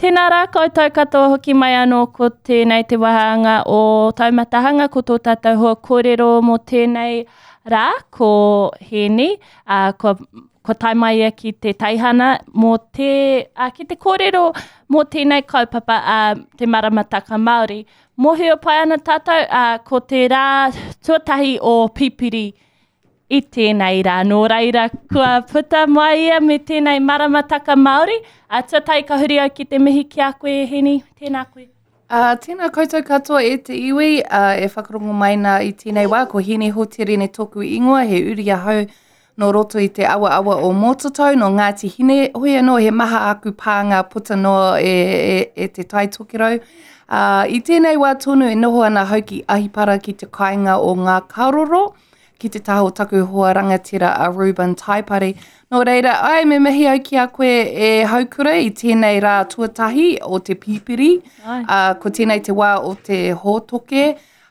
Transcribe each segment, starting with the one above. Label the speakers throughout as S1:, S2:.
S1: Tēnā rā koutou katoa hoki mai anō ko tēnei te wāhanga o Taumatahanga, ko tō tātou hoa kōrero mō tēnei rā, ko Hēni, ā, kua, kua tae mai ia ki te teihana mō te, ā, ki te kōrero mō tēnei kaupapa, ā, te maramataka Māori. Mōhio pai ana tātou, ā, ko te rā tuatahi o Pipiri i tēnei rā. Nō reira, kua puta mai ia me tēnei maramataka Māori. A, tuatahi ka huri au ki te mihi ki a koe, e Heni. Tēnā koe.
S2: Uh, tēnā koutou katoa e te iwi uh, e whakarongo mai nā i tēnei wā. Ko Heni Hoterene tōku ingoa, he uri ahau nō roto i te awaawa o Mōtatau, nō Ngāti Hine. Hoi anō, he maha aku pānga puta noa e, e, e te Tai Tokerau. Uh, I tēnei wā tonu e noho ana hau ki Ahipara ki te kāinga o Ngā Karoro. ki te taha o taku hoa rangatira a Reuben Taipari. Nō reira, ai, me mihi au ki a koe e Haukura i tēnei rā tuatahi o te pīpiri. Uh, ko tēnei te wā o te hōtoke.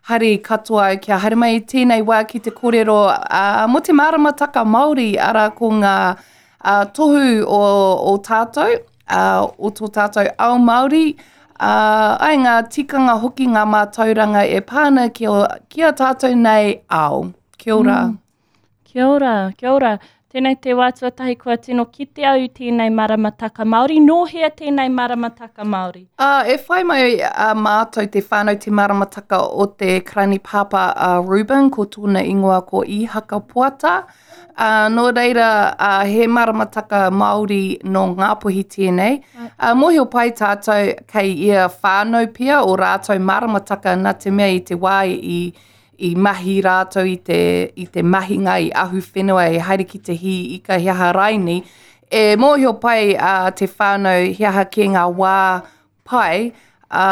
S2: Hari katoa au kia haere mai i tēnei wā ki te kōrero uh, mō te māramataka Māori, arā ko ngā uh, tohu o, o tātou, uh, o tō tātou ao Māori, uh, ai ngā tikanga hoki ngā mātauranga e pā ana ki, o, ki a tātou nei ao. Kia ora. Mm.
S1: Kia ora, kia ora. Tēnei te wā tuatahi kua tino kite au i tēnei maramataka Māori. Nō hea tēnei maramataka Māori?
S2: Uh, e whai mai a mātou te whānau te maramataka o te karani pāpā a Reuben, ko tōna ingoa ko Ihaka Poata. Ā, nō reira, ā, he maramataka Māori nō Ngāpuhi tēnei. Ā, mōhio pai tātou kei ia whānau pea o rātou maramataka nā te mea i te wā i, i mahi rātou i te, i te mahinga, i ahu whenua, i haere ki te hī ika, he aha raini. E mōhio pai a te whānau he aha kē ngā wā pai, ā,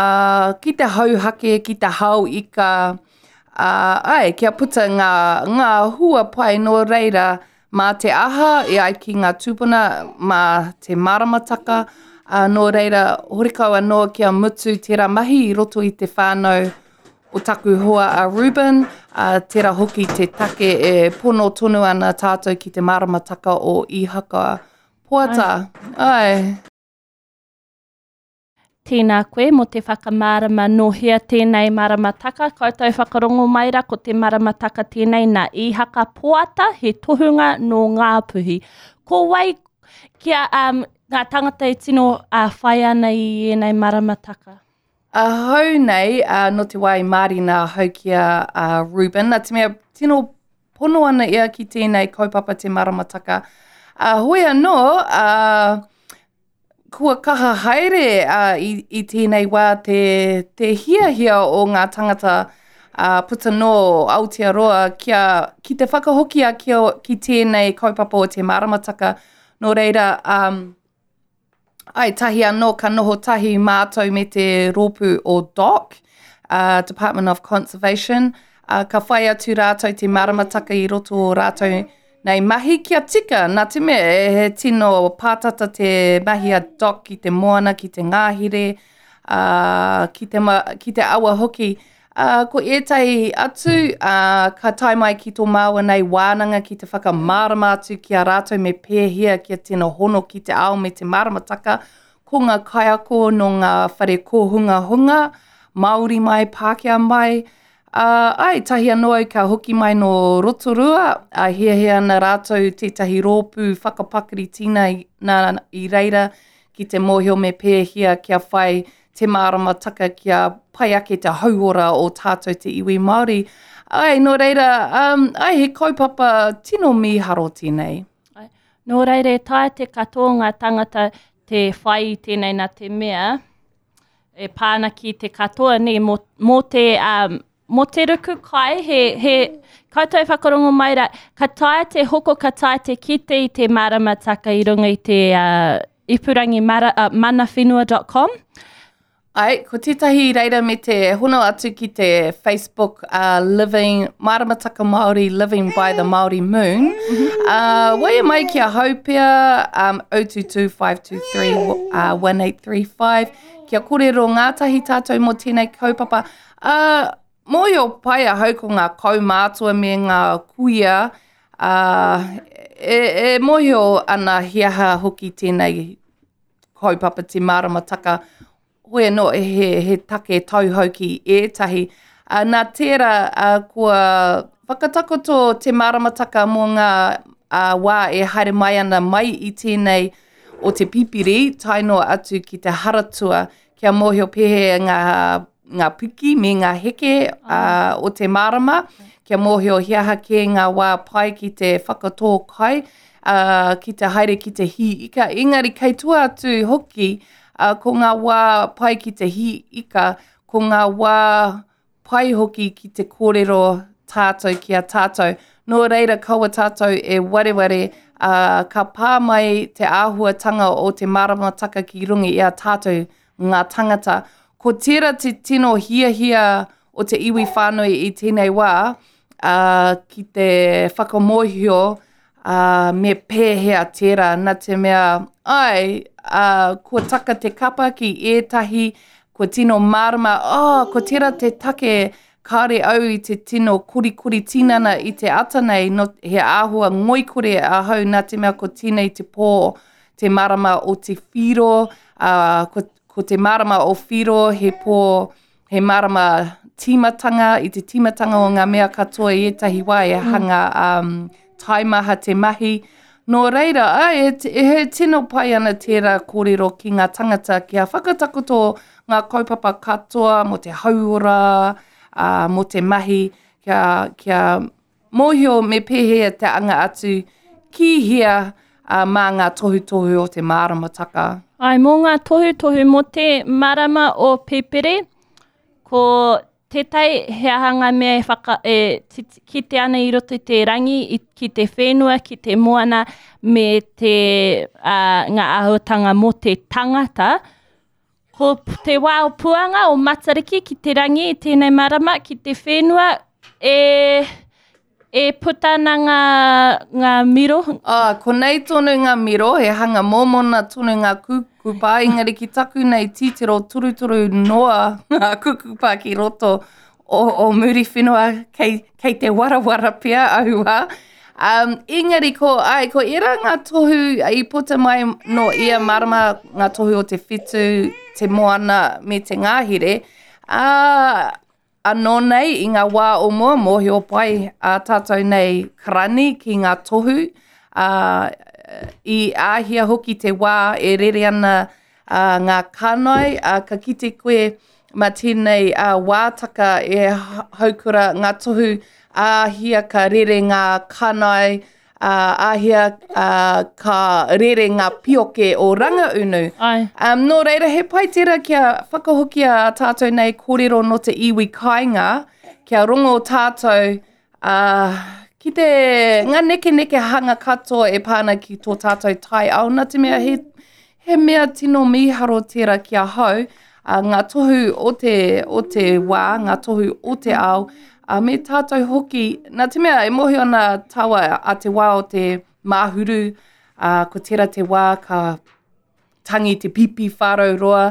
S2: ki te hauhake, ki te hao ika, ā, āe, kia puta ngā, ngā hua pai nō reira, mā te aha e ai ki ngā tūpuna, mā te maramataka, ā, nō reira, horekau anō kia mutu tērā mahi i roto i te whānau o taku hoa a Reuben, ā, tērā hoki te take e pono tonu ana tātou ki te maramataka o Ihaka Poata. Āe.
S1: Tēnā koe mō te whakamārama nō hea tēnei maramataka. Koutou whakarongo mai ra ko te maramataka tēnei nā Īhaka Poata, he tohunga nō Ngāpuhi. Ko wai kia um, ngā tangata e tino uh, whai ana i ēnei maramataka?
S2: Ahau nei, uh, nō te wā i mārina ahau ki a uh, Reuben, nā te mea tino pono ana ia ki tēnei kaupapa te maramataka. Uh, hoi anō, uh, Kua kaha haere i, i tēnei wā te, te hiahia o ngā tangata uh, puta nō Aotearoa kia, ki te whakahoki a ki, ki tēnei kaupapa o te maramataka. Nō reira, um, ai, tahi anō ka noho tahi mātou me te rōpū o DOC, uh, Department of Conservation, uh, ka whai atu rātou te maramataka i roto o rātou Nei mahi kia tika, nā te mea he tino pātata te mahi a Doc ki te moana, ki te ngāhere, ā, ki te, ma, ki te awa hoki. Ā, ko ētahi atu, ā, ka tae mai ki tō māua nei wānanga ki te whakamārama atu ki a rātou me pēhea kia tino hono ki te ao me te māramataka, ko ngā kaiako nō ngā whare kōhungahunga, Māori mai, Pākehā mai, Ā, āe, tahi anō au ka hoki mai nō Rotorua, ā, hiahia ana rātou tētahi rōpū whakapakari tīna i reira ki te mōhio me pēhea kia whai te māramataka kia pai ake te hauora o tātou te iwi Māori. Āe, nō reira, um, āe, he kaupapa tino mīharo tēnei.
S1: Āe, nō reira e taea te katoa o ngā tangata te whai i tēnei nā te mea, e pā ana ki te katoa, nē, mō, mō te, um, mō te ruku kai, he, he, koutou whakarongo mai rā, ka taea te hoko, ka taea te kite i te māramataka i runga i te uh, ipurangi mara, uh, manawhenua.com.
S2: Ai, ko tētahi reira me te hono atu ki te Facebook uh, Living, Māramataka Māori Living by the Māori Moon. Uh, waia mai ki a Haupea, um, 022 523 uh, 1835. Kia kōrero ngātahi tātou mō tēnei kaupapa. Uh, mōhio pai ahau ko ngā kaumātua me ngā kuia, uh, e, e mōhio ana he aha hoki tēnei. kaupapa te maramataka, hoi anō he, he take tauhou ki ētahi. Uh, nā tērā uh, kua whakatakoto te maramataka mō ngā uh, wā e haere mai ana mai i tēnei o te pipiri tae noa atu ki te haratua kia mōhio pēhea ngā, ngā piki me ngā heke uh, o te marama, kia mōhio he aha kē ngā wā pai ki te whakatō kai, uh, ki te haere ki te hī ika. Engari kei tua atu hoki, uh, ko ngā wā pai ki te hī ika, ko ngā wā pai hoki ki te kōrero tātou ki a tātou. Nō reira kaua tātou e wareware, ā, ka pā mai te āhuatanga o te maramataka ki runga i a tātou ngā tangata. Ko tērā te tino hiahia o te iwi whānui i tēnei wā, ā, ki te whakamōhio, ā, me pēhea tērā, nā te mea, āe, ā, kua taka te kapa ki ētahi, kua tino mārama, oh, ko tērā te take kāore au i te tino korikori tinana i te ata nei, no, he āhua ngoikore ahau nā te mea ko tēnei te pō, te marama o te whiro, ā, ko, ko te marama o whiro he pō, He marama tīmatanga, i te tīmatanga o ngā mea katoa i ētahi wā e mm. hanga um, taimaha te mahi. Nō reira, ai, e, e, he tino pai ana tērā kōrero ki ngā tangata kia whakatakoto ngā kaupapa katoa mō te hauora, uh, mō te mahi, kia, kia Mōhio me pēhea te anga atu ki hea mā ngā tohutohu o te māramataka.
S1: Āe, mō ngā tohutohu mō te marama o Pipiri, ko tētahi he aha ngā mea e whaka, e kite ana i roto i te rangi, i, ki te whenua, ki te moana, me te, ā, ngā āhuatanga mō te tangata. Ko te wā o Puanga, o Matariki ki te rangi i tēnei marama, ki te whenua e, e puta ana ngā, ngā miro.
S2: Ah, konei tonu ngā miro, he hanga mōmona tonu ngā kukupa, engari ki taku nei titiro turuturu noa ngā kukupa ki roto o, o Muriwhenua, kei, kei te warawara pea aua. Um, engari ko, ai, ko era ngā tohu i puta mai no ia marama, ngā tohu o te whetu, te moana me te ngāhere. Uh, anō nei i ngā wā o mua, mōhio pai a tātou nei karani ki ngā tohu. Uh, I āhia hoki te wā e rere ana uh, ngā kānai, uh, ka kite koe Mā tēnei wātaka e haukura ngā tohu āhia ka rere ngā kanae, āhia ka rere ngā pioke o Rangaunu.
S1: Ai.
S2: Um, nō reira, he pai tērā kia whakahokia a tātou nei kōrero nō te iwi kāinga, kia rongo tātou Ā, ki te, ngā nekenekehanga katoa e pā ana ki tō tātou taiao, nā te mea he, he mea tino mīharo tērā ki ahau, ā, ngā tohu o te, o te wā, ngā tohu o te ao, ā, me tātou hoki, nā te mea e mōhio ana tāua a te wā o te māhuru, ā, ko tērā te wā ka tangi te pipi whārau roa,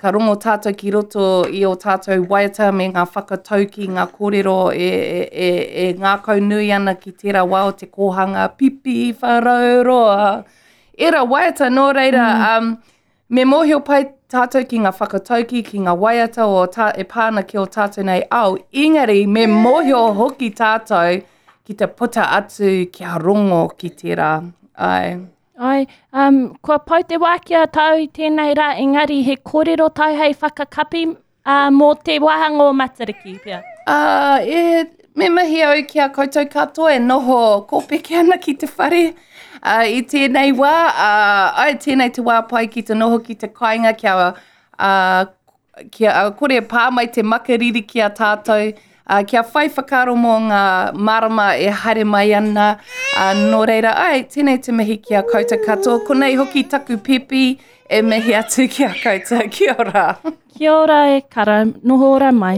S2: ka rongo tātou ki roto i ō tātou waiata me ngā whakatauki, ngā kōrero e, e, e, e ngākau nui ana ki tērā wā o te kōhanga pipi whārau roa. Ērā waiata, nō reira, mm. um, me mōhio pai tātou ki ngā whakatauki, ki ngā waiata o tā, e pā ana ki o tātou nei ao, engari me mōhio hoki tātou ki te puta atu kia rongo ki tērā. Ai.
S1: Ai, um, kua pau te wā ki a tāu i tēnei rā, engari he kōrero tāu hei whakakapi uh, mō te wāhanga o Matariki, pea.
S2: Uh, e, me mihi au ki a koutou katoa e noho kōpeke ana ki te whare uh, i tēnei wā. Uh, ai, tēnei te wā pai ki te noho ki te kāinga kia uh, kia kore pā mai te makariri ki a tātou, kia whai whakaaro mō ngā marama e haere mai ana. Nō reira, ai, tēnei te mihi ki a koutou katoa. Konei hoki taku pepi e mihi atu ki a koutou. Kia ora.
S1: Kia ora e kara, noho ora mai.